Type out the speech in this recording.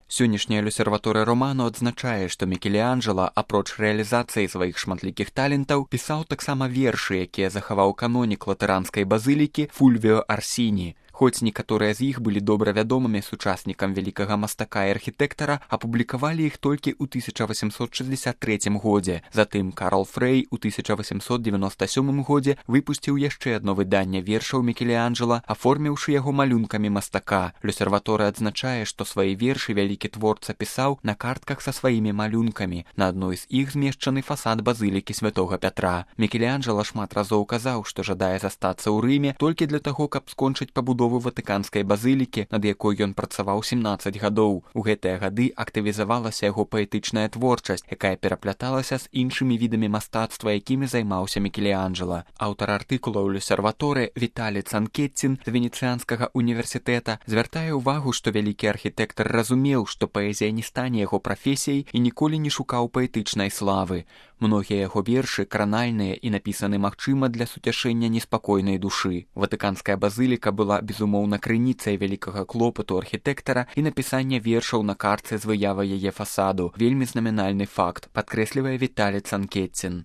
Сённяшняя L'Osservatore Romano адзначае, што Мікеланджела, апроч рэалізацыі сваіх шматлікіх талентаў, пісаў таксама вершы, якія захаваў канонік латаранскай базылікі Фульвіо Арсіні. Хоць некаторыя з іх былі добра вядомымі сучаснікам вялікага мастака і архітэктара, апублікавалі іх толькі ў 1863 годзе. Затым Карл Фрэй у 1897 годзе выпусціў яшчэ адно выданне вершаў Мікеланджела, аформіўшы яго малюнкамі мастака. L'Osservatore адзначае, што свае вершы вялікі творца пісаў на картках са сваімі малюнкамі. На адной з іх змешчаны фасад базылікі святога Пятра. Мікеланджела шмат разоў казаў, што жадае застацца ў Рыме толькі для таго, каб скончыць пабудову ватыканскай базылікі, над якой ён працаваў 17 гадоў. У гэтыя гады актывізавалася яго паэтычная творчасць, якая перапляталася з іншымі відамі мастацтва, якімі займаўся Мікеланджела. Аўтар артыкула ў L'Osservatore Віталі Цанкетцін з Венецыянскага універсітэта звяртае ўвагу, што вялікі архітэктар разумеў, што паэзія не стане яго прафесіяй і ніколі не шукаў паэтычнай славы. Многія яго вершы кранальныя і напісаны, магчыма, для суцяшэння неспакойнай душы. Ватыканская базыліка была, безумоўна, крыніцай вялікага клопату архітэктара і напісання вершаў на картцы з выявай яе фасаду. Вельмі знаменальны факт, падкрэслівае Віталі Цанкетцін.